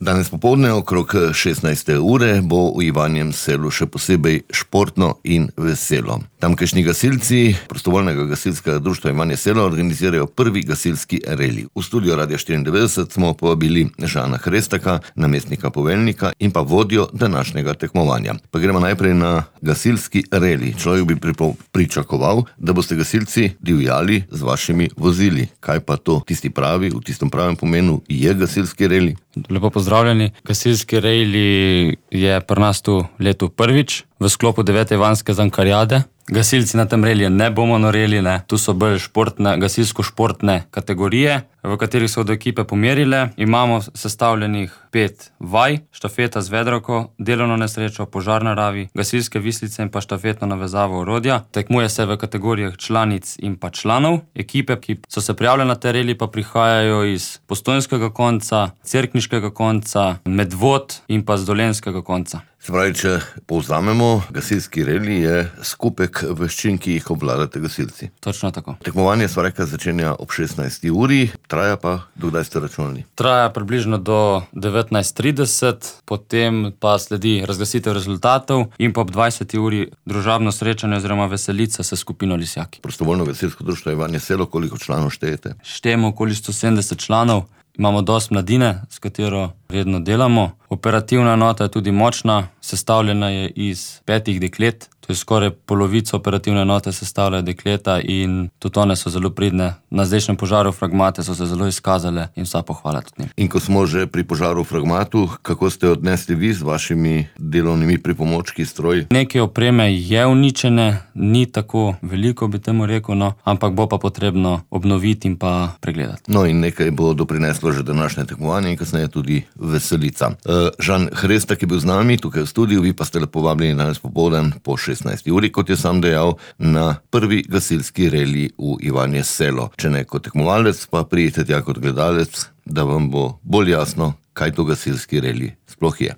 Danes popoldne okrog 16. ure bo v Ivanjem Selu še posebej športno in veselo. Tamkajšnji gasilci prostovoljnega gasilskega društva Ivanje Selo organizirajo prvi gasilski reli. V studio Radia 94 smo povabili Žana Hrestaka, namestnika poveljnika in pa vodjo današnjega tekmovanja. Pa gremo najprej na gasilski reli. Človek bi pričakoval, da boste gasilci divjali z vašimi vozili. Kaj pa to tisti pravi, v tistem pravem pomenu je gasilski reli? Lepo pozdravljeni. Gasilski reli je pri nas tu letu prvič v sklopu 9. Ivanske zankarjade. Gasilci na tem reliju ne bomo noreli, tu so bolj gasilsko-športne kategorije, v katerih so do ekipe pomerile. Imamo sestavljenih 5 vaj, štafeta z vedrovko, delovno nesrečo, požar na ravi, gasilske vislice in pa štafetno navezavo orodja. Tekmuje se v kategorijah članic in pa članov. Ekipe, ki so se prijavile na te reli, pa prihajajo iz postojnskega konca, cerkniškega konca, Medvod in pa z dolenjskega konca. Se pravi, če povzamemo, gasilski reli je skupek veščin, ki jih obvladate gasilci. Točno tako. Tekmovanje sva rekla začenja ob 16. uri, traja pa do kdaj ste računali? Traja približno do 19:30, potem pa sledi razglasitev rezultatov in pa ob 20. uri družabno srečanje oziroma veselica s skupino Lisjaki. Prostovoljno gasilsko društvo Ivanje Selo, koliko članov štejete? Štejemo okoli 170 članov. Imamo dosti mladine, s katero redno delamo. Operativna enota je tudi močna, sestavljena je iz 5 deklet. To je skoraj polovico operativne enote sestavljajo dekleta in tudi one so zelo pridne. Na zdajšnjem požaru v Fragmate so se zelo izkazale in vsa pohvala tudi njim. In ko smo že pri požaru v Fragmatu, kako ste odnesli vi z vašimi delovnimi pripomočki, stroji? Nekaj opreme je uničene, ni tako veliko, bi temu rekel, ampak bo pa potrebno obnoviti in pa pregledati. No in nekaj bo doprineslo že današnje tekmovanje in kasneje tudi veselica. Žan Hrestak je bil z nami tukaj v studiu, vi pa ste lepo vabljeni danes popoldan po 16. uri, kot je sam dejal, na prvi gasilski reli v Ivanje Selo. Če ne kot tekmovalec, pa pridite tja kot gledalec, da vam bo bolj jasno, kaj to gasilski reli sploh je.